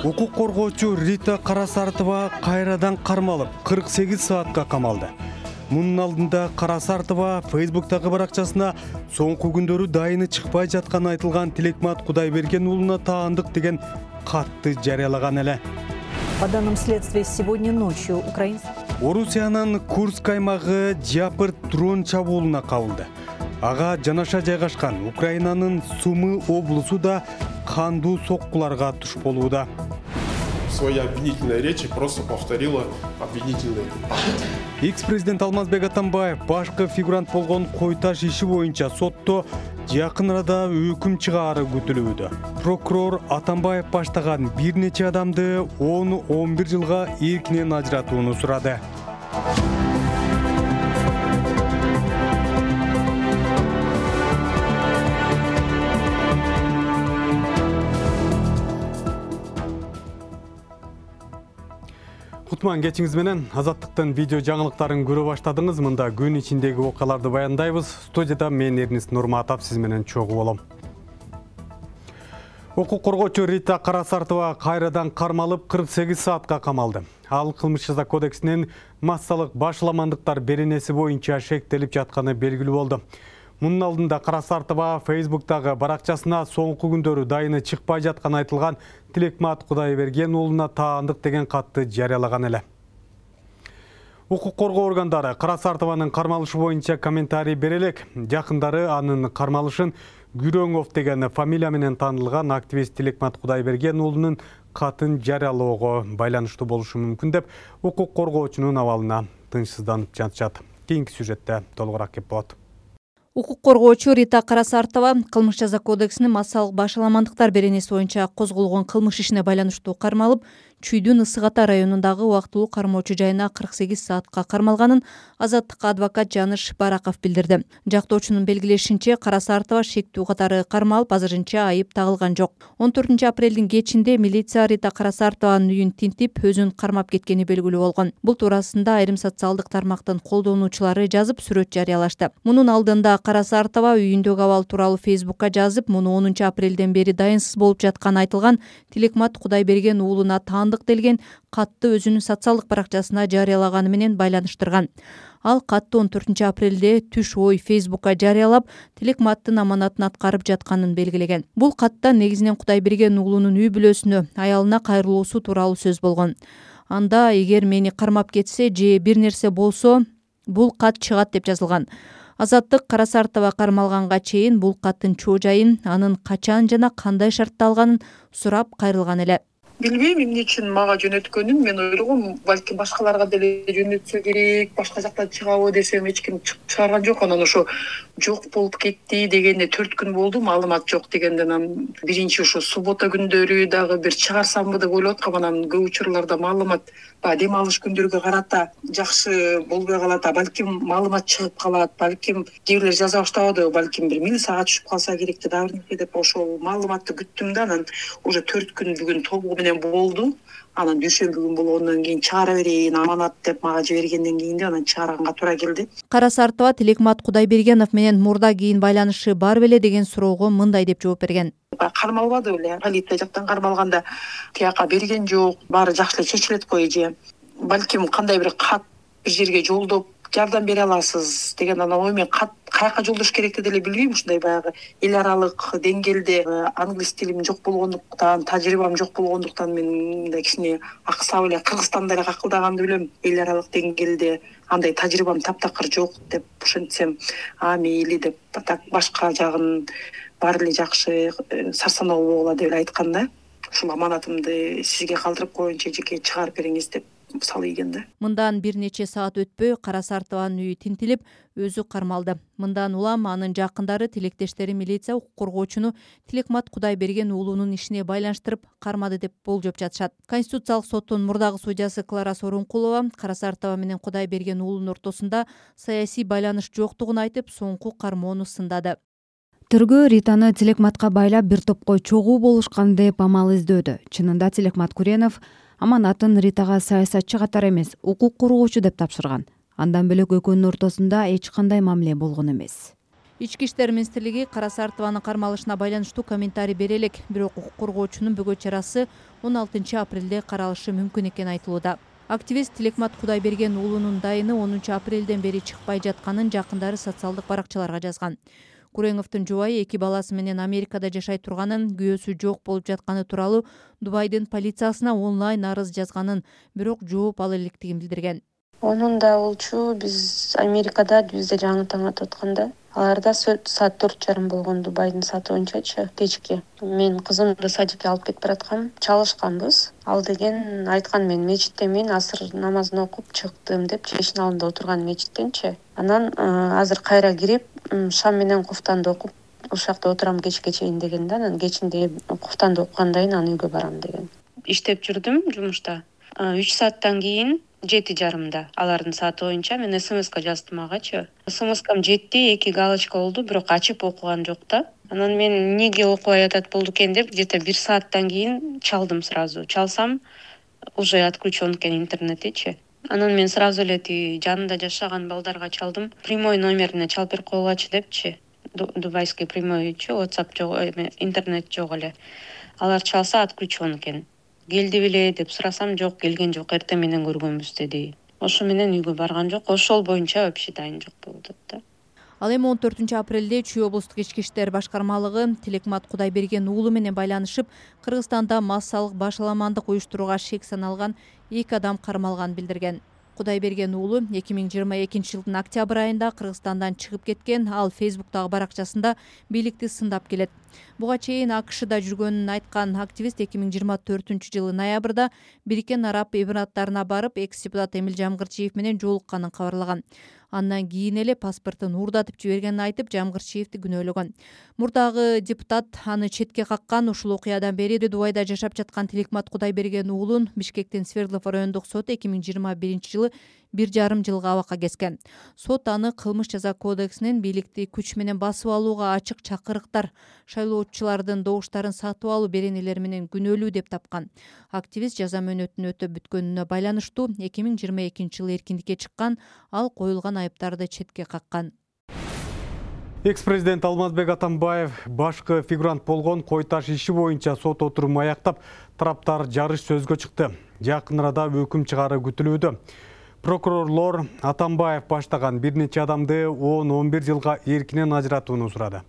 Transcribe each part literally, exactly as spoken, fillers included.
Укук коргоочу Рита Карасартова кайрадан кармалып кырк сегиз саатка камалды. Мунун алдында Карасартова Фейсбуктагы баракчасына соңку күндөрү дайыны чыкпай жатканы айтылган Тилекмат Кудайберген уулуна таандык деген катты жарыялаган эле. По данным следствия, сегодня ночью украинцы... Орусиянын Курск аймагы Жапыр дрон чабуулуна кабылды. Ага жанаша жайгашкан Украинанын Сумы облусу да кандуу соккуларга туш болууда. Своей обвинительной речи просто повторила обвинительный. Экс-президент Алмазбек Атамбаев башкы фигурант болгон Койташ иши боюнча сотто жакын арада өкүм чыгаары күтүлүүдө. Прокурор Атамбаев баштаган бир нече адамды он он бир жылга эркинен ажыратууну сурады. Кутман кечиңиз менен Азаттыктын видео жаңылыктарын көрө баштадыңыз. Мында күн ичиндеги окуяларды баяндайбыз. Студияда мен Эрнис Нурматов сиз менен чогуу болом. Укук коргоочу Рита Карасартова кайрадан кармалып кырк сегиз саатка камалды. Ал кылмыш жаза кодексинин массалык башаламандыктар беренеси боюнча шектелип жатканы белгилүү болду. Мунун алдында Карасартова Фейсбуктагы баракчасына соңку күндөрү дайыны чыкпай жатканы айтылган Тилекмат Кудайберген уулуна таандык деген катты жарыялаган эле. Укук коргоо органдары Карасартованын кармалышы боюнча комментарий бере элек. Жакындары анын кармалышын Күрөңов деген фамилия менен таанылган активист Тилекмат Кудайберген уулунун катын жарыялоого байланыштуу болушу мүмкүн деп укук коргоочунун абалына тынчсызданып жатышат. Кийинки сюжетте толугураак кеп болот. Укук коргоочу Рита Карасартова кылмыш жаза кодексинин массалык башаламандыктар беренеси боюнча козголгон кылмыш ишине байланыштуу кармалып, Чүйдүн Ысык Ата районундагы убактылуу кармоочу жайына кырк сегиз саатка кармалганын Азаттыкка адвокат Жаныш Бараков билдирди. Жактоочунун белгилешинче, Карасартова шектүү катары кармалып, азырынча айып тагылган жок. он төртүнчү апрелдин кечинде милиция Рита Карасартованын үйүн тинтип, өзүн кармап кеткени белгилүү болгон. Бул туурасында айрым социалдык тармактын колдонуучулары жазып, сүрөт жарыялашты. Мунун алдында Карасартова үйүндөгү абал тууралуу Фейсбукка жазып, муну онунчу апрелден бери дайынсыз болуп жатканы айтылган Тилекмат Кудайберген уулуна таандык делген катты өзүнүн социалдык баракчасына жарыялаганы менен байланыштырган. Ал катты он төртүнчү апрелде түш ой Фейсбукка жарыялап, Тилекматтын аманатын аткарып жатканын белгилеген. Бул катта негизинен Кудайберген уулунун үй бүлөсүнө, аялына кайрылуусу тууралуу сөз болгон. Анда эгер мени кармап кетсе же бир нерсе болсо, бул кат чыгат деп жазылган. Азаттык Карасартова кармалганга чейин бул каттын чоо жайын, анын качан жана кандай шартта алганын сурап кайрылган эле. Билбейм эмне үчүн мага жөнөткөнүн, мен ойлогом, балким башкаларга деле жөнөтсө керек, башка жакта чыгабы десем эч ким чыгарган жок. Анан ошо жок болуп кетти дегенде төрт күн болду, маалымат жок дегенден анан биринчи ошо суббота күндөрү дагы бир чыгарсамбы деп ойлоп аткам. Анан көп учурларда маалымат дем алыш күндөргө карата жакшы болбой калат, балким маалымат чыгып калат, балким кээ бирлер жаза баштабады, балким бир милицияга түшүп калса керек деп ошол маалыматты күттүм да, анан уже төрт күн бүгүн толугу менен болду. Анан дүйшөмбү күн болгондон кийин чыгара берейин, аманат деп мага жибергенден кийин анан чыгарганга туура келди. Карасартова Тилекмат Кудайбергенов менен мурда кийин байланышы бар беле деген суроого мындай деп жооп берген. Кармалбады беле, полиция жактан кармалганда тияка берген жок, баары жакшы эле чечилет го эже. Балким кандай бир кат бир жерге жолдоп жардам бере аласыз деген анан ой мен кат каяка жолдош керекти деле билбейм. Ушундай баягы эл аралык деңгээлде англис тилим жок болгондуктан, тажрыйбам жок болгондуктан мен мындай кичине аксап эле Кыргызстанда эле какылдаганды билем. Эл аралык деңгээлде андай тажрыйбам таптакыр жок деп ошентсем, а мейли деп так башка жагын баары эле жакшы сарсаноо боло деп айткан да. Ушул аманатымды сизге калтырып коеюнча жеке чыгарып бериңиз деп салып ийген да. Мындан бир нече саат өтпөй Карасартованын үйү тинтилип, өзү кармалды. Мындан улам анын жакындары, тилектештери милиция укук коргоочуну Тилекмат Кудайберген уулунун ишине байланыштырып кармады деп болжоп жатышат. Конституциялык соттун мурдагы судьясы Клара Сорункулова Карасартова менен Кудайберген уулунун ортосунда саясий байланыш жоктугун айтып, соңку кармоону сындады. Тергөө Ританы Тилекматка байлап бир топко чогуу болушкан деп амал издөдү. Чынында Тилекмат Куренов аманатын Ритага саясатчы катары эмес, укук коргоочу деп тапшырган. Андан бөлөк экөөнүн ортосунда эч кандай мамиле болгон эмес. Ички иштер министрлиги Кара Сартованын кармалышына байланыштуу комментарий бере элек, бирок укук коргоочунун бөгөт чарасы он алтынчы апрелде каралышы мүмкүн экени айтылууда. Активист Тилекмат Кудайберген уулунун дайыны онунчу апрелден бери чыкпай жатканын жакындары социалдык баракчаларга жазган. Куреңовдун жубайы эки баласы менен Америкада жашай турганын, күйөөсү жок болуп жатканы тууралуу Дубайдын полициясына онлайн арыз жазганын, бирок жооп ала электигин билдирген. Онунда болчу биз Америкада бизде жаңы таң атып атканда, аларда саат төрт жарым болгон Дубайдын сааты боюнчачы кечки. Мен кызымды садикке алып кетип бараткам, чалышканбыз. Ал деген айткан, мен мечиттемен, асыр намазын окуп чыктым деп, чечин алдында отурган мечиттенчи. Анан азыр кайра кирип, шам менен куфтанды окуп, ушул жакта отурам кечке чейин деген да. Анан кечинде куфтанды окугандан кийин анан үйгө барам деген. Иштеп жүрдүм жумушта. үч сааттан кийин жети жарымда алардын сааты боюнча мен смска жаздым агачы. Смскам жетти, эки галочка болду, бирок ачып окуган жок да. Анан мен эмнеге окубай атат болду экен деп, где-то бир сааттан кийин чалдым сразу. Чалсам уже отключен экен интернетичи. Анан мен сразу эле тиги жанында жашаган балдарга чалдым. Прямой номерине чалып берип койгулачы депчи. Дубайский прямойчу, WhatsApp жок, интернет жок эле. Алар чалса отключен экен. Келди беле деп сурасам, жок, келген жок, эртең менен көргөнбүз деди. Ошо менен үйгө барган жок, ошол боюнча вообще дайын жок болду да. Ал эми он төртүнчү апрелде Чүй облустук ички иштер башкармалыгы Тилекмат Кудайберген уулу менен байланышып, Кыргызстанда массалык башаламандык уюштурууга шек саналган эки адам кармалганын билдирген. Кудайберген уулу эки миң жыйырма экинчи жылдын октябрь айында Кыргызстандан чыгып кеткен, ал Фейсбуктагы баракчасында бийликти сындап келет. Буга чейин АКШда жүргөнүн айткан активист эки миң жыйырма төртүнчү жылы ноябрда Бириккен Араб Эмираттарына барып, экс-депутат Эмил Жамгырчиев менен жолукканын кабарлаган. Андан кийин эле паспортун уурдатып жибергенин айтып, Жамгырчиевди күнөөлөгөн. Мурдагы депутат аны четке каккан. Ушул окуядан бери Дубайда жашап жаткан Тилекмат Кудайберген уулун Бишкектин Свердлов райондук соту эки миң жыйырма биринчи жылы бир жарым жылга абакка кескен. Сот аны кылмыш жаза кодексинин бийликти күч менен басып алууга ачык чакырыктар, шайлоочулардын добуштарын сатып алуу беренелери менен күнөөлүү деп тапкан. Активист жаза мөөнөтүн өтөп бүткөнүнө байланыштуу эки миң жыйырма экинчи жылы эркиндикке чыккан, ал коюлган айыптарды четке каккан. Экс-президент Алмазбек Атамбаев башкы фигурант болгон Кой Таш иши боюнча сот отурумун аяктап, тараптар жарыш сөзгө чыкты. Жакын арада өкүм чыгаары күтүлүүдө. Прокурорлор Атамбаев баштаган бир нече адамды он он бир жылга эркинен ажыратууну сурады.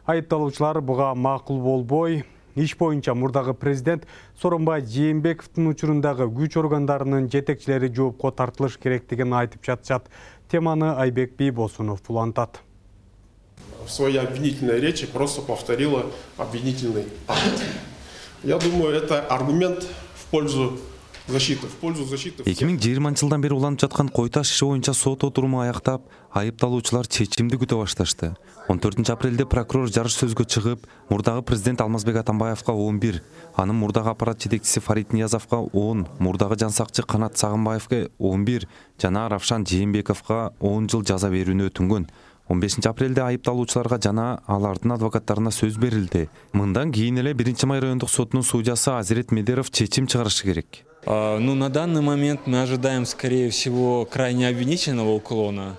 Айыпталуучулар буга макул болбой, иш боюнча мурдагы президент Сооронбай Жээнбековдун учурундагы күч органдарынын жетекчилери жоопко тартылыш керектигин айтып жатышат. Теманы Айбек Бийбосунов улантат. В своей обвинительной речи просто повторила обвинительный акт. Я думаю, это аргумент в пользу защиты, в пользу защиты. эки миң жыйырманчы жылдан бери уланып жаткан Кой Таш иши боюнча сот отуруму аяктап, айыпталуучулар чечимди күтө башташты. он төртүнчү апрелде прокурор жарыш сөзгө чыгып, мурдагы президент Алмазбек Атамбаевга он бир, анын мурдагы аппарат жетекчиси Фарид Ниязовго он, мурдагы жансакчы Канат Сагынбаевге он бир жана Равшан Жээнбековго он жыл жаза берүүнү өтүнгөн. он бешинчи апрелде айыпталуучуларга жана алардын адвокаттарына сөз берилди. Мындан кийин эле биринчи май райондук сотунун судьясы Азирет Медеров чечим чыгарышы керек. Ну, на данный момент мы ожидаем, скорее всего, крайне обвинительного уклона.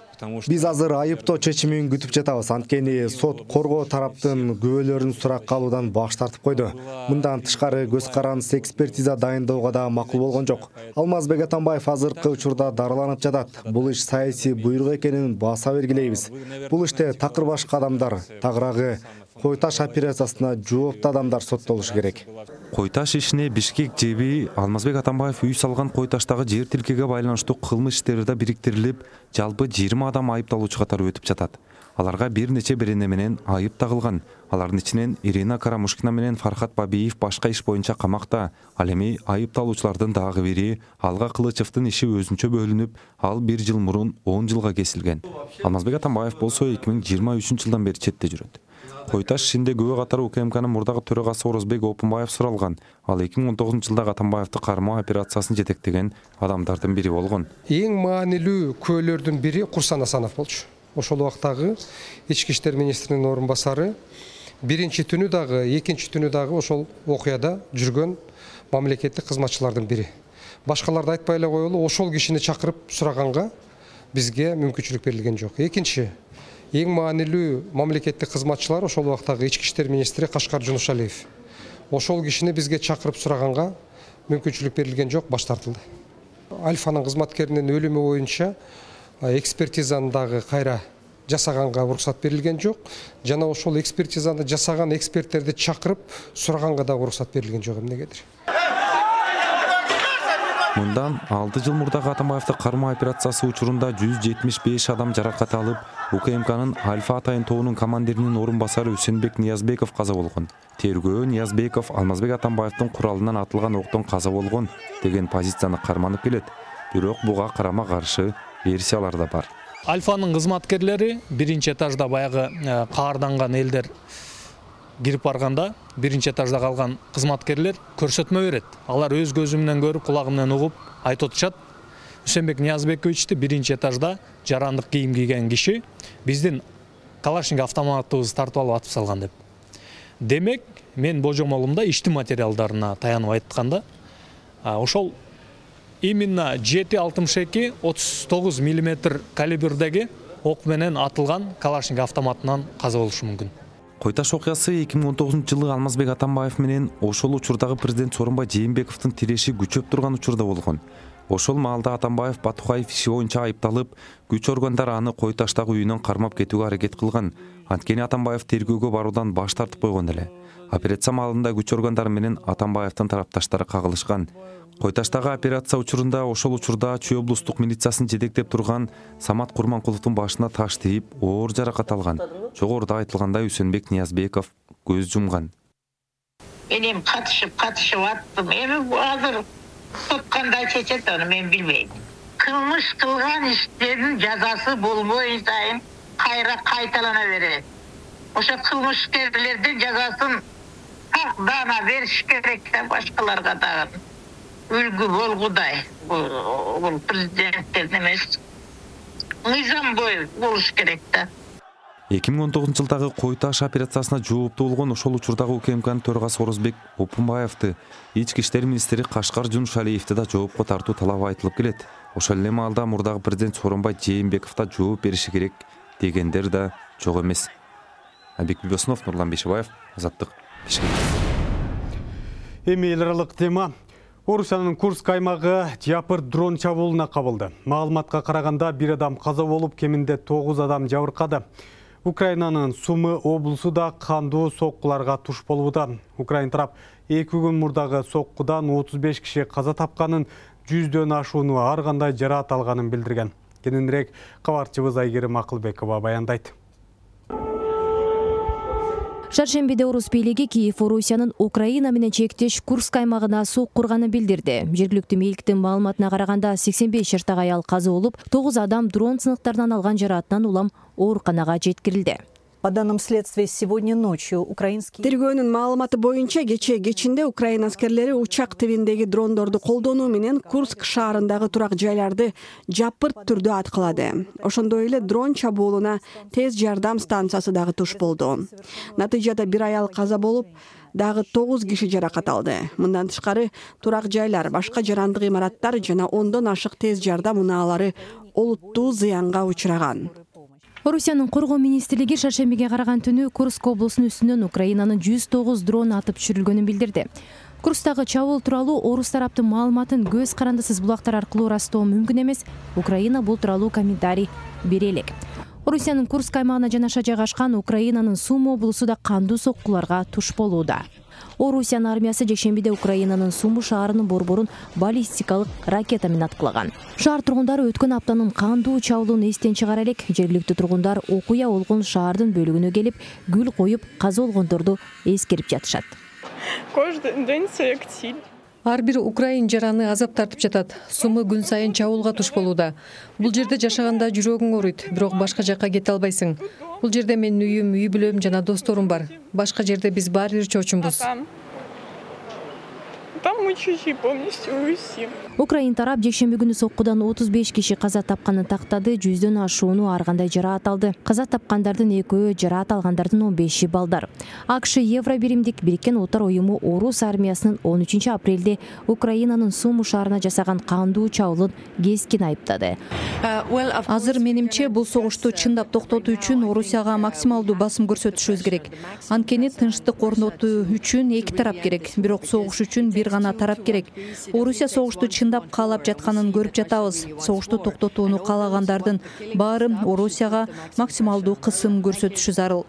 Биз азыр айыптоо чечимин күтүп жатабыз. Анткени сот коргоо тараптын күбөлөрүн суракка алуудан баш тартып койду. Мындан тышкары көз карандысыз экспертиза дайындоого да макул болгон жок. Алмазбек Атамбаев азыркы учурда дарыланып жатат. Бул иш саясий буйрук экенин баса бергилейбиз. Бул иште такыр башка адамдар, тагыраагы Кой Таш операциясына жооптуу адамдар соттолушу керек. Кой Таш ишине Бишкек жеби Алмазбек Атамбаев үй салган Кой Таштагы жер тилкеге байланыштуу кылмыш иштери да бириктирилип, жалпы жыйырма адам айыпталуучу катары өтүп жатат. Аларга бир нече берене менен айып тагылган. Алардын ичинен Ирина Карамушкина менен Фархат Бабиев башка иш боюнча камакта. Ал эми айыпталуучулардын дагы бири Алга Кылычевдин иши өзүнчө бөлүнүп, ал бир жыл мурун он жылга кесилген. Алмазбек Атамбаев болсо эки миң жыйырма үчүнчү жылдан бери четте жүрөт. Кой Таш ишинде күбө катары УКМКнын мурдагы төрагасы Орозбек Опунбаев суралган. Ал эки миң он тогузунчу жылдагы Атамбаевди кармоо операциясын жетектеген адамдардын бири болгон. Эң маанилүү күбөлөрдүн бири Курсан Асанов болчу. Ошол убактагы ички иштер министринин орун басары биринчи түнү дагы, экинчи түнү дагы ошол окуяда жүргөн мамлекеттик кызматчылардын бири. Башкаларды айтпай эле коелу, ошол кишини чакырып сураганга бизге мүмкүнчүлүк берилген жок. Экинчи, эң маанилүү мамлекеттик кызматчылар ошол убактагы ички иштер министри Кашкар Жунушалиев. Ошол кишини бизге чакырып сураганга мүмкүнчүлүк берилген жок, баш тартылды. Альфанын кызматкеринин өлүмү боюнча экспертизаны дагы кайра жасаганга уруксат берилген жок жана ошол экспертизаны жасаган эксперттерди чакырып сураганга дагы уруксат берилген жок эмнегедир. Мындан алты жыл мурдагы Атамбаевди кармоо операциясы учурунда жүз жетимиш беш адам жаракат алып, УКМКнын Альфа Атайын тобунун командиринин орун басары Үсенбек Ниязбеков каза болгон. Тергөө Ниязбеков Алмазбек Атамбаевдин куралынан атылган октон каза болгон деген позицияны карманып келет. Бирок буга карама каршы версиялар да бар. Альфанын кызматкерлери биринчи этажда баягы каарданган элдер кирип барганда, биринчи этажда калган кызматкерлер көрсөтмө берет. Алар өз көзү менен көрүп, кулагы менен угуп айтып атышат. Үсенбек Ниязбековичти биринчи этажда жарандык кийим кийген киши биздин Калашников автоматыбызды тартып алып атып салган деп. Демек, мен божомолумда иштин материалдарына таянып айтканда, ошол именно жети алтымыш эки отуз тогуз миллиметр калибрдеги ок менен атылган Калашников автоматынан каза болушу мүмкүн. Койташ окуясы эки миң он тогузунчу жылы Алмазбек Атамбаев менен ошол учурдагы президент Сооронбай Жээнбековдун тиреши күчөп турган учурда болгон. Ошол маалда Атамбаев Батукаев иши боюнча айыпталып, күч органдары аны Койташтагы үйүнөн кармап кетүүгө аракет кылган. Анткени Атамбаев тергөөгө баруудан баш тартып койгон эле. Операция маалында күч органдары менен Атамбаевдин тарапташтары кагылышкан. Койташтагы операция учурунда ошол учурда Чүй облустук милициясын жетектеп турган Самат Курманкуловдун башына таш тийип, оор жаракат алган. Жогоруда айтылгандай Үсенбек Ниязбеков көз жумган. Мен эми катышып, катышып аттым. Эми азыр сот кандай чечет аны мен билбейм. Кылмыш кылган иштердин жазасы болбой сайын кайра кайталана берет. Ошо кылмышкерлердин жазасын дана бериш керек да башкаларга дагы. Үлгү болгудай. Бул президенттердин эмес. Мыйзам бою болуш керек да. эки миң он тогузунчу жылдагы Койташ операциясына жооптуу болгон ошол учурдагы УКМКнын төрагасы Орозбек Опунбаевди, ички иштер министри Кашкар Жунушалиевди да жоопко тартуу талабы айтылып келет. Ошол эле маалда мурдагы президент Сооронбай Жээнбеков да жооп бериши керек дегендер да жок эмес. Абек Бибосунов, Нурлан Бешебаев, Азаттык, Бишкек. Эми эл аралык тема. Орусиянын Курск аймагы жапыр дрон чабуулуна кабылды. Маалыматка караганда бир адам каза болуп, кеминде тогуз адам жабыркады. Украинанын Сумы облусу да кандуу соккуларга туш болууда. Украин тарап эки күн мурдагы соккудан отуз беш киши каза тапканын, жүздөн ашууну ар кандай жараат алганын билдирген. Кененирээк кабарчыбыз Айгерим Акылбекова баяндайт. Шаршембиде орус бийлиги Киев Орусиянын Украина менен чектеш Курск аймагына сок курганын билдирди. Жергиликтүү мээликтин маалыматына караганда сексен беш жаштагы аял каза болуп, тогуз адам дрон сыныктарынан алган жараатынан улам ооруканага жеткирилди. По данным следствия, сегодня ночью украинские... Тергөөнүн маалыматы боюнча кечээ кечинде Украина аскерлери учак тибиндеги дрондорду колдонуу менен Курск шаарындагы турак жайларды жапырт түрдө аткылады. Ошондой эле дрон чабуулуна тез жардам станциясы дагы туш болду. Натыйжада бир аял каза болуп, дагы тогуз киши жаракат алды. Мындан тышкары турак жайлар, башка жарандык имараттар жана ондон ашык тез жардам унаалары олуттуу зыянга учураган. Орусиянын коргоо министрлиги шаршембиге караган түнү Курск облусунун үстүнөн Украинанын жүз тогуз дрон атып түшүрүлгөнүн билдирди. Курстагы чабуул тууралуу орус тараптын маалыматын көз карандысыз булактар аркылуу ырастоо мүмкүн эмес. Украина бул тууралуу комментарий бере элек. Орусиянын Курск аймагына жанаша жайгашкан Украинанын Сумы облусу да кандуу соккуларга туш болууда. Орусиянын армиясы жекшембиде Украинанын Сумы шаарынын борборун баллистикалык ракета менен аткылаган. Шаар тургундары өткөн аптанын кандуу чабуулун эстен чыгара элек. Жергиликтүү тургундар окуя болгон шаардын бөлүгүнө келип, гүл коюп, каза болгондорду эскерип жатышат. Ар бир украин жараны азап тартып жатат. Сумы күн сайын чабуулга туш болууда. Бул жерде жашаганда жүрөгүң ооруйт, бирок башка жакка кете албайсың. Бул жерде менин үйүм, үй бүлөм жана досторум бар. Башка жерде биз баары бир чоочунбуз. Там мы чужие полностью все. Украин тарап жекшемби күнү соккудан отуз беш киши каза тапканын тактады, жүздөн ашууну ар кандай жараат алды. Каза тапкандардын экөө, жараат алгандардын он беши балдар. АКШ Евро биримдик Бириккен Улуттар уюму Орус армиясынын он үчүнчү апрелде Украинанын Сумы шаарына жасаган кандуу чабуулун кескин айыптады. Азыр менимче бул согушту чындап токтотуу үчүн Орусияга максималдуу басым көрсөтүшүбүз керек. Анткени тынчтык орнотуу үчүн эки тарап керек, бирок согуш үчүн бир гана тарап керек. Орусия согушту чындап каалап жатканын көрүп жатабыз. Согушту токтотууну каалагандардын баары Орусияга максималдуу кысым көрсөтүшү зарыл.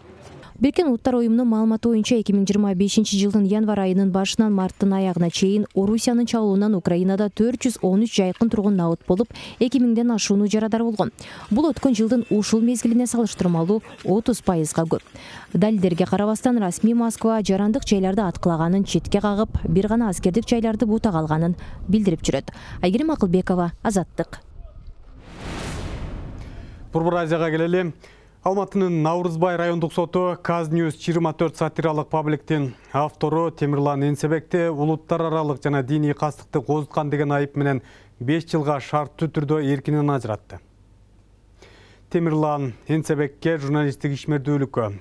Бириккен Улуттар уюмунун маалыматы боюнча эки миң жыйырма бешинчи жылдын январь айынын башынан марттын аягына чейин Орусиянын чабуулунан Украинада төрт жүз он үч жайкын тургун набыт болуп, эки миңден ашууну жарадар болгон. Бул өткөн жылдын ушул мезгилине салыштырмалуу отуз пайызга көп. Далилдерге карабастан расмий Москва жарандык жайларды аткылаганын четке кагып, бир гана аскердик жайларды бутага алганын билдирип жүрөт. Айгерим Акылбекова, Азаттык. Борбор Азияга келели. Алматынын Наурызбай райондук соту Казньюз жыйырма төрт сатиралык пабликтин автору Темирлан Энсебекти улуттар аралык жана диний кастыкты козуткан деген айып менен беш жылга шарттуу түрдө эркинен ажыратты. Темирлан Энсебекке журналисттик ишмердүүлүккө,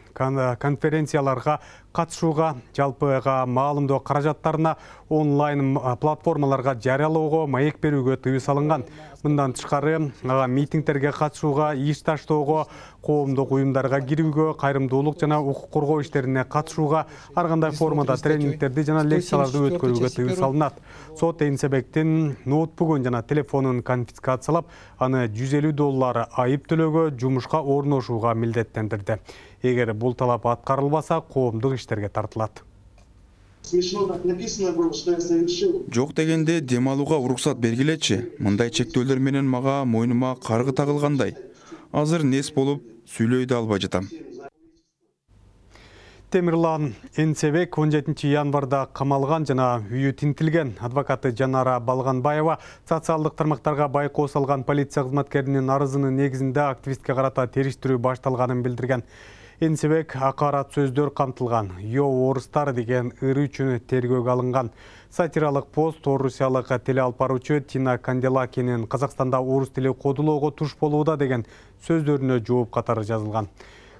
конференцияларга катышууга, жалпыга маалымдоо каражаттарына онлайн платформаларга жарыялоого, маек берүүгө тыюу салынган. Мындан тышкары ага митингдерге катышууга, иш таштоого, коомдук уюмдарга кирүүгө, кайрымдуулук жана укук коргоо иштерине катышууга, ар кандай формада тренингдерди жана лекцияларды өткөрүүгө тыюу салынат. Сот Энсебектин ноутбугун жана телефонун конфискациялап, аны жүз элүү доллар айып төлөөгө, жумушка орношууга милдеттендирди. Эгер бул талап аткарылбаса, коомдук иштерге тартылат. Жок дегенде дем алууга уруксат бергилечи. Мындай чектөөлөр менен мага мойнума каргы тагылгандай. Азыр нес болуп сүйлөй да албай жатам. Темирлан Энсебек он жетинчи январда камалган жана үйү тинтилген. Адвокаты Жанара Балганбаева социалдык тармактарга байкоо салган полиция кызматкеринин арызынын негизинде активистке карата териштирүү башталганын билдирген. Энсебек акарат сөздөр камтылган. Йо орустар деген ыры үчүн тергөөгө алынган. Сатиралык пост орусиялык теле алып баруучу Тина Канделакинин Казакстанда орус тили кодулоого туш болууда деген сөздөрүнө жооп катары жазылган.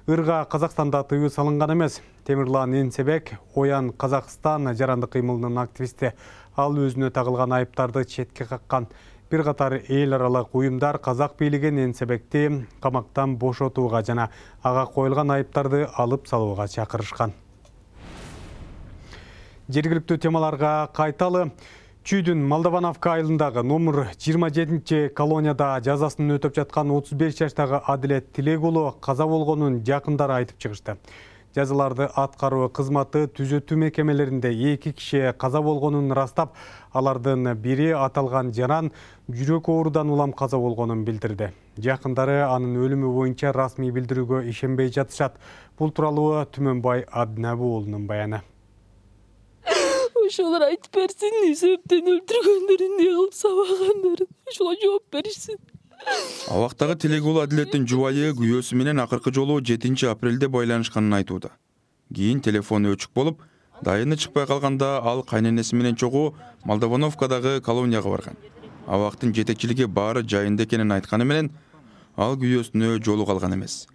Ырга Казакстанда тыюу салынган эмес. Темирлан Энсебек Оян Казакстан жарандык кыймылынын активисти. Ал өзүнө тагылган айыптарды четке каккан. Бир катар эл аралык уюмдар казак бийлигин Энсебекти камактан бошотууга жана ага коюлган айыптарды алып салууга чакырышкан. Жергиликтүү темаларга кайталы. Чүйдүн Молдовановка айылындагы номер жыйырма жетинчи колонияда жазасын өтөп жаткан отуз беш жаштагы Адилет Тилек уулу каза болгонун жакындары айтып чыгышты. Жазаларды аткаруу кызматы түзөтүү мекемелеринде эки киши каза болгонун ырастап, алардын бири аталган жаран жүрөк оорудан улам каза болгонун билдирди. Жакындары анын өлүмү боюнча расмий билдирүүгө ишенбей жатышат. Бул тууралуу Түмөнбай Абдинабы уулунун баяны. Ошолор айтып берсин, эмне себептен өлтүргөндөрүн, эмне кылып сабагандарын, ошого жооп беришсин. Абактагы Тилек уулу Адилеттин жубайы күйөөсү менен акыркы жолу жетинчи апрелде байланышканын айтууда. Кийин телефону өчүк болуп, дайыны чыкпай калганда ал кайненеси менен чогуу Молдовановкадагы колонияга барган. Абактын жетекчилиги баары жайында экенин айтканы менен ал күйөөсүнө жолуга алган эмес.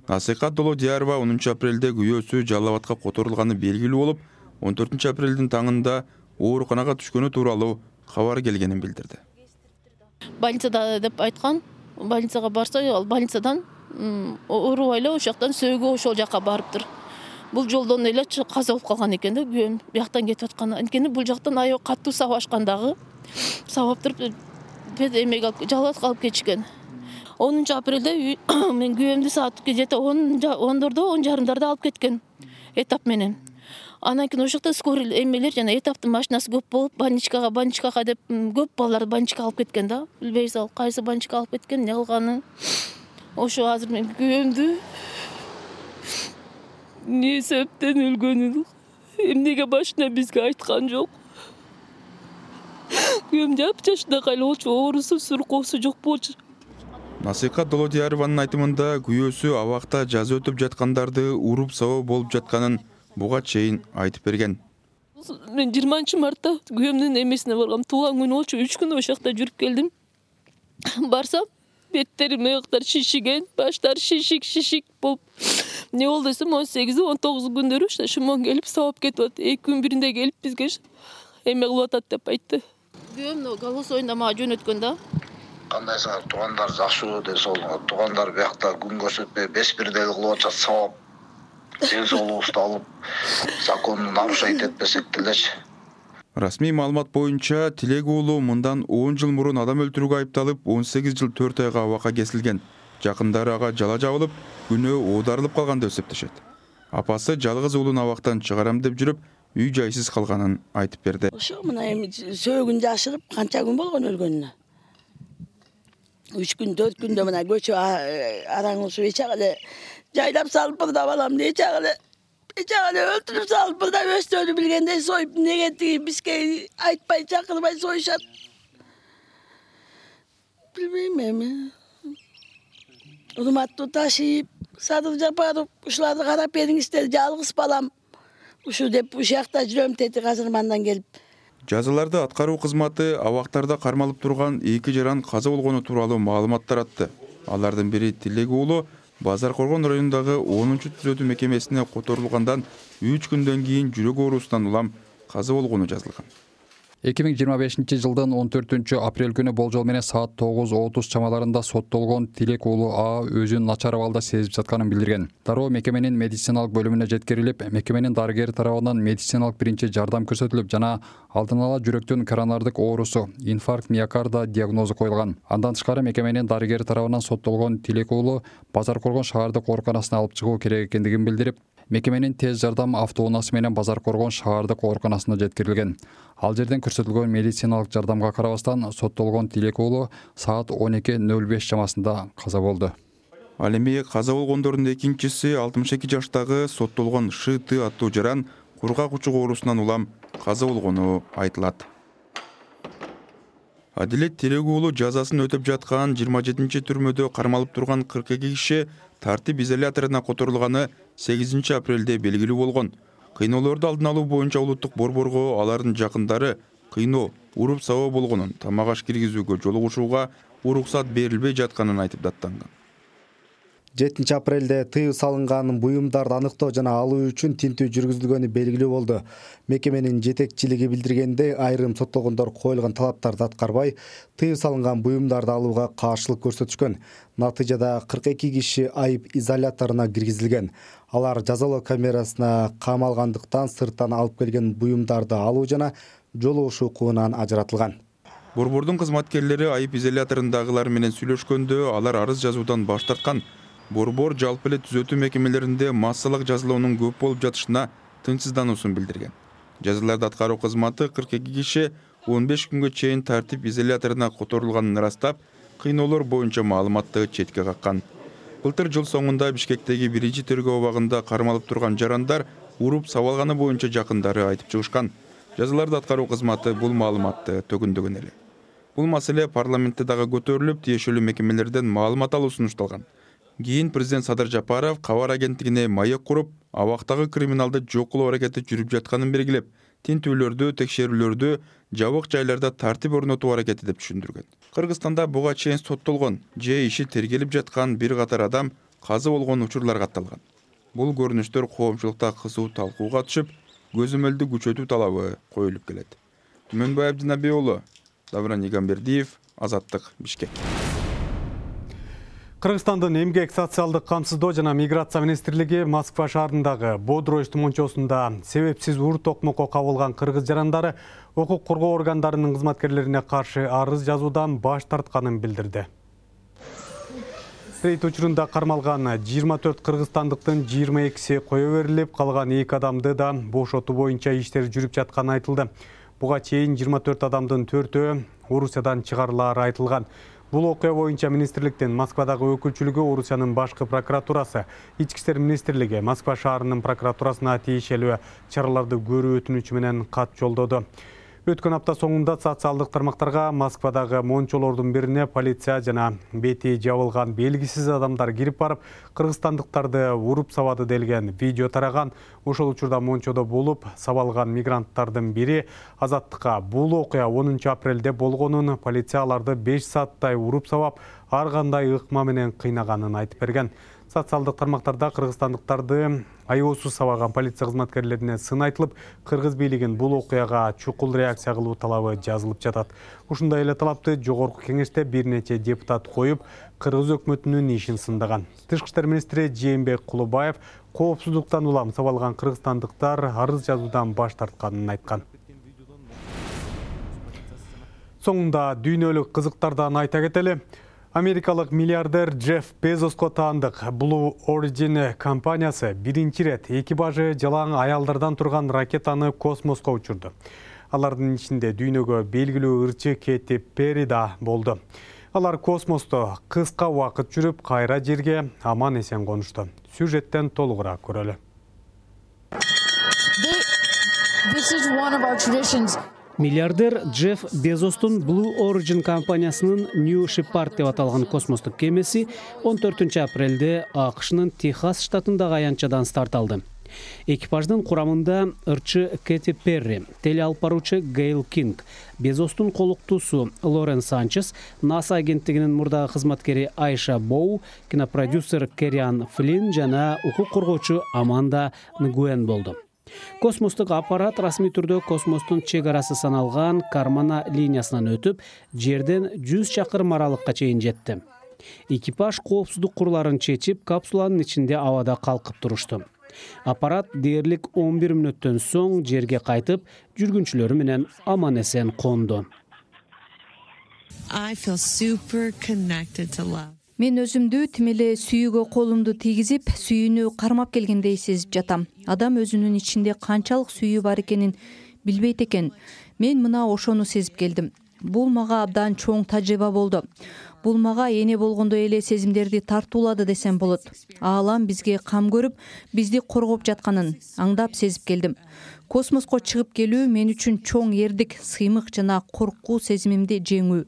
Насыкат Долодиярова онунчу апрелде күйөөсү Жалал Абадка которулганы белгилүү болуп, он төртүнчү апрелдин таңында ооруканага түшкөнү тууралуу кабар келгенин билдирди. Больницада деп айткан, больницага барса, ал больницадан оорубай эле ошоктон сөөгө ошол жака барыптыр. Бул жолдон эле каза болуп калган экен да, күйөөм бияктан кетип аткан. Анткени бул жактан аябай катуу сабашкандагы сабаптыр эмеге алып Жалал Абадка алып кетишкен. онунчу апрелде мен күйөөмдү саат где-то ондордо, он жарымдарда алып кеткен этап менен. Анан кийин ошокто скорый эмелер жана этаптын машинасы көп болуп, больничкага, больничкага деп көп балаларды больничкага алып кеткен да. Билбейбиз ал кайсы больничкага алып кеткен, эмне кылганын. Ошо азыр мен күйөөмдү эмне себептен өлгөнүн, эмнеге башына бизге айткан жок. Күйөөм жап жашында кайла болчу, оорусу, суркоосу жок болчу. Насыкат Долодиярованын айтымында күйөөсү абакта жаза өтүп жаткандарды уруп сабоо болуп жатканын буга чейин айтып берген. Мен жыйырманчы мартта күйөөмдүн эмесине баргам. Туулган күнү болчу. үч күн ошол жакта жүрүп келдим. Барсам, беттерим аяктар шишиген, баштар шишик, шишик болуп. Не болду десем, он сегизи он тогузу күндөрү шымон келип сабап кетип атат. эки күн биринде келип бизге эме кылып атат деп айтты. Күйөөм голосойунда мага жөнөткөн да. Кандайсыңар, туугандар жакшыбы ден соолугуңар. Туугандар биякта күн көрсөтпөй беш бирдей кылып атышат, сабап. Ден соолугубузду алып, законду нарушать этпесек делечи. Расмий маалымат боюнча Тилек уулу мындан он жыл мурун адам өлтүрүүгө айыпталып, он сегиз жыл төрт айга абакка кесилген. Жакындары ага жала жабылып, күнөө оодарылып калган деп эсептешет. Апасы жалгыз уулун абактан чыгарам деп жүрүп, үй жайсыз калганын айтып берди. Ошо мына эми сөөгүн жашырып, канча күн болгон өлгөнүнө. үч күн, төрт күндө мына көчө араңылышып эчак эле жайлап салып бырдап алам деп эчак эле эчак эле өлтүрүп салып бырдап өстөрү билгендей союп, неге тиги бизге айтпай чакырбай союшат. Билбейм эми. Урматтуу Ташиев, Садыр Жапаров, ушуларды карап бериңиздер, жалгыз балам. Ушу деп ушул жакта жүрөм деди азыр мандан келип. Жазаларды аткаруу кызматы абактарда кармалып турган эки жаран каза болгону тууралуу маалымат таратты. Алардын бири Тилек уулу Базар Коргон районундагы онунчу түзөтүү мекемесине которулгандан үч күндөн кийин жүрөк оорусунан улам каза болгону жазылган. эки миң жыйырма бешинчи жылдын он төртүнчү апрель күнү болжол менен саат тогуз отуз чамаларында соттолгон Тилек уулу А өзүн начар абалда сезип жатканын билдирген. Дароо мекеменин медициналык бөлүмүнө жеткирилип, мекеменин дарыгери тарабынан медициналык биринчи жардам көрсөтүлүп, жана алдын ала жүрөктүн коронардык оорусу, инфаркт миокарда диагнозу коюлган. Андан тышкары мекеменин дарыгери тарабынан соттолгон Тилек уулу Базар Коргон шаардык ооруканасына алып чыгуу керек экендигин билдирип, мекеменин тез жардам автоунаасы менен Базар Коргон шаардык ооруканасына жеткирилген. Ал жерден көрсөтүлгөн медициналык жардамга карабастан соттолгон Тилек уулу саат он эки нөл беш чамасында каза болду. Ал эми каза болгондордун экинчиси алтымыш эки жаштагы соттолгон Ш Т аттуу жаран кургак учук оорусунан улам каза болгону айтылат. Адилет Тилек уулу жазасын өтөп жаткан жыйырма жетинчи түрмөдө кармалып турган кырк эки киши тартип изоляторуна которулганы сегизинчи апрелде белгилүү болгон. Кыйноолорду алдын алуу боюнча улуттук борборго алардын жакындары кыйноо, уруп сабоо болгонун, тамак аш киргизүүгө жолугушууга уруксат берилбей жатканын айтып даттанган. жетинчи апрелде тыюу салынган буюмдарды аныктоо жана алуу үчүн тинтүү жүргүзүлгөнү белгилүү болду. Мекеменин жетекчилиги билдиргендей, айрым соттолгондор коюлган талаптарды аткарбай, тыюу салынган буюмдарды алууга каршылык көрсөтүшкөн. Натыйжада кырк эки киши айып изоляторуна киргизилген. Алар жазалоо камерасына камалгандыктан сырттан алып келген буюмдарды алуу жана жолугушуу укугунан ажыратылган. Борбордун кызматкерлери айып изоляторундагылар менен сүйлөшкөндө алар арыз жазуудан баш тарткан. Борбор жалпы эле түзөтүү мекемелеринде массалык жазалоонун көп болуп жатышына тынчсыздануусун билдирген. Жазаларды аткаруу кызматы кырк эки киши он беш күнгө чейин тартип изоляторуна которулганын ырастап, кыйноолор боюнча маалыматты четке каккан. Былтыр жыл соңунда Бишкектеги биринчи тергөө абагында кармалып турган жарандар уруп сабалганы боюнча жакындары айтып чыгышкан. Жазаларды аткаруу кызматы бул маалыматты төгүндөгөн эле. Бул маселе парламентте дагы көтөрүлүп, тиешелүү мекемелерден маалымат алуу сунушталган. Кийин президент Садыр Жапаров кабар агенттигине маек куруп, абактагы криминалды жок кылуу аракети жүрүп жатканын белгилеп, тинтүүлөрдү, текшерүүлөрдү жабык жайларда тартип орнотуу аракети деп түшүндүргөн. Кыргызстанда буга чейин соттолгон же иши тергелип жаткан бир катар адам каза болгон учурлар катталган. Бул көрүнүштөр коомчулукта кызуу талкууга түшүп, көзөмөлдү күчөтүү талабы коюлуп келет. Түмөнбай Абдинабий уулу, Давран Игамбердиев, Азаттык, Бишкек. Кыргызстандын эмгек, социалдык камсыздоо жана миграция министрлиги Москва шаарындагы Бодрой Мончосунда себепсиз ур токмокко кабылган кыргыз жарандары укук коргоо органдарынын кызматкерлерине каршы арыз жазуудан баш тартканын билдирди. Рейд учурунда кармалган жыйырма төрт кыргызстандыктын жыйырма экиси кое берилип, калган эки адамды да бошотуу боюнча иштер жүрүп жатканы айтылды. Буга чейин жыйырма төрт адамдын төртөө Орусиядан чыгарылары айтылган. Бул окуя боюнча министрликтин Москвадагы өкүлчүлүгү, Орусиянын башкы прокуратурасы, Ички иштер министрлиги Москва шаарынын прокуратурасына тиешелүү чараларды көрүү өтүнүчү менен кат жолдоду. Өткөн апта соңунда социалдык тармактарга Москвадагы мончолордун бирине полиция жана бети жабылган белгисиз адамдар кирип барып, кыргызстандыктарды уруп сабады делген видео тараган. Ошол учурда мончодо болуп сабалган мигранттардын бири Азаттыкка бул окуя онунчу апрелде болгонун, полиция аларды беш сааттай уруп сабап, ар кандай ыкма менен кыйнаганын айтып берген. Социалдык тармактарда кыргызстандыктарды аеосуз сабаган полиция кызматкерлерине сын айтылып, кыргыз бийлигин бул окуяга чукул реакция кылуу талабы жазылып жатат. Ушундай эле талапты жогорку кеңеште бир нече депутат коюп, кыргыз өкмөтүнүн ишин сындаган. Тышкы иштер министри Жээнбек Кулубаев коопсуздуктан улам сабалган кыргызстандыктар арыз жазуудан баш тартканын айткан. Соңунда дүйнөлүк кызыктардан айта кетели. Америкалык миллиардер Джефф Безоско таандык Blue Origin компаниясы биринчи рет экипажы жалаң аялдардан турган ракетаны космоско учурду. Алардын ичинде дүйнөгө белгилүү ырчы Кэти Перри да болду. Алар космосто кыска убакыт жүрүп, кайра жерге аман эсен конушту. Сюжеттен толугураак көрөлү. Миллиардер Джефф Безостун Blue Origin компаниясынын New Shepard деп аталган космостук кемеси он төртүнчү апрелде АКШнын Техас штатындагы аянтчадан старт алды. Экипаждын курамында ырчы Кэти Перри, теле алып баруучу Гейл Кинг, Безостун колуктуусу Лорен Санчес, НАСА агенттигинин мурдагы кызматкери Айша Боу, кинопродюсер Керриан Флинн жана укук коргоочу Аманда Нгуен болду. Космостук аппарат расмий түрдө космостун чек арасы саналган Кармана линиясынан өтүп, жерден жүз чакырым аралыкка чейин жетти. Экипаж коопсуздук курларын чечип, капсуланын ичинде абада калкып турушту. Аппарат дээрлик он бир мүнөттөн соң жерге кайтып, жүргүнчүлөрү менен аман эсен конду. Мен өзүмдү тим эле сүйүүгө колумду тийгизип, сүйүүнү кармап келгендей сезип жатам. Адам өзүнүн ичинде канчалык сүйүү бар экенин билбейт экен. Мен мына ошону сезип келдим. Бул мага абдан чоң тажрыйба болду. Бул мага эне болгондой эле сезимдерди тартуулады десем болот. Аалам бизге кам көрүп, бизди коргоп жатканын аңдап сезип келдим. Космоско чыгып келүү мен үчүн чоң эрдик, сыймык жана коркуу сезимимди жеңүү.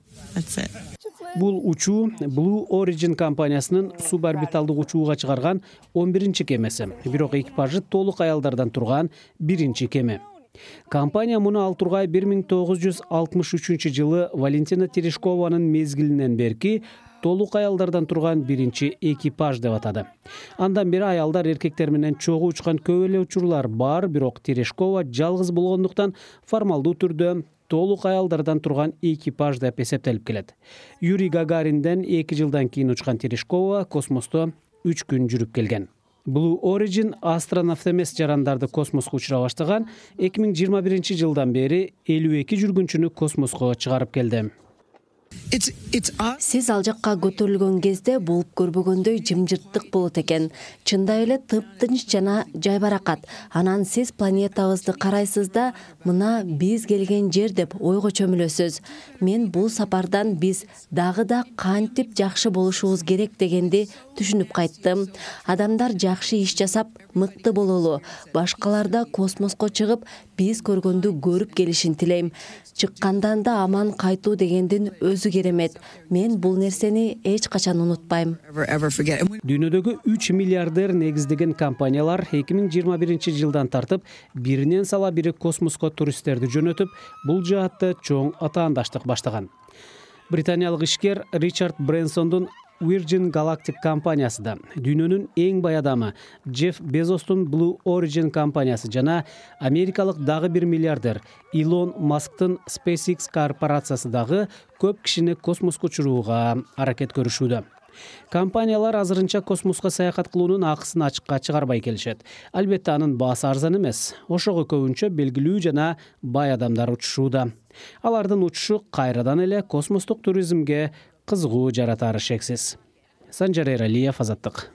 Бул учуу Blue Origin компаниясынын суборбиталдык учууга чыгарган он биринчи кемеси, бирок экипажы толук аялдардан турган биринчи кеме. Компания муну ал тургай бир миң тогуз жүз алтымыш үчүнчү жылы Валентина Терешкованын мезгилинен берки толук аялдардан турган биринчи экипаж деп атады. Андан бери аялдар эркектер менен чогуу учкан көп эле учурлар бар, бирок Терешкова жалгыз болгондуктан формалдуу түрдө толук аялдардан турган экипаж деп эсептелип келет. Юрий Гагаринден эки жылдан кийин учкан Терешкова космосто үч күн жүрүп келген. Blue Origin астронавт эмес жарандарды космоско учура баштаган, эки миң жыйырма биринчи жылдан бери элүү эки жүргүнчүнү космоско чыгарып келди. Сиз ал жакка көтөрүлгөн кезде болуп көрбөгөндөй жымжырттык болот экен. Чындай эле тыптынч жана жайбаракат. Анан сиз планетабызды карайсыз да, мына биз келген жер деп ойго чөмүлөсүз. Мен бул сапардан биз дагы да кантип жакшы болушубуз керек дегенди түшүнүп кайттым. Адамдар жакшы иш жасап, мыкты бололу. Башкалар да космоско чыгып, биз көргөндү көрүп келишин тилейм. Чыккандан да аман кайтуу дегендин өзү керемет. Мен бул нерсени эч качан унутпайм. Дүйнөдөгү үч миллиардер негиздеген компаниялар эки миң жыйырма биринчи жылдан тартып, биринен сала бири космоско туристтерди жөнөтүп, бул жаатта чоң атаандаштык баштаган. Британиялык ишкер Ричард Брэнсондун Virgin Galactic компаниясы да, дүйнөнүн эң бай адамы Джефф Безостун Blue Origin компаниясы жана америкалык дагы бир миллиардер Илон Масктын SpaceX корпорациясы дагы көп кишини космоско учурууга аракет көрүшүүдө. Компаниялар азырынча космоско саякат кылуунун акысын ачыкка чыгарбай келишет. Албетте анын баасы арзан эмес. Ошого көбүнчө белгилүү жана бай адамдар учушууда. Алардын учушу кайрадан эле космостук туризмге кызыгуу жаратары шексиз. Санжар Эралиев, Азаттык.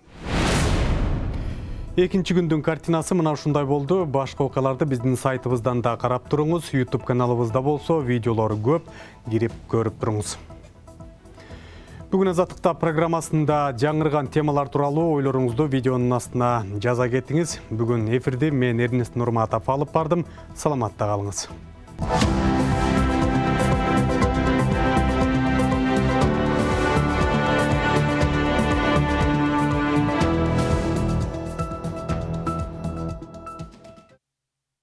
Экинчи күндүн картинасы мына ушундай болду. Башка окуяларды биздин сайтыбыздан да карап туруңуз. YouTube каналыбызда болсо видеолор көп, кирип көрүп туруңуз. Бүгүн Азаттыкта программасында жаңырган темалар тууралуу ойлоруңузду видеонун астына жаза кетиңиз. Бүгүн эфирди мен Эрнест Нурматов алып бардым. Саламатта калыңыз.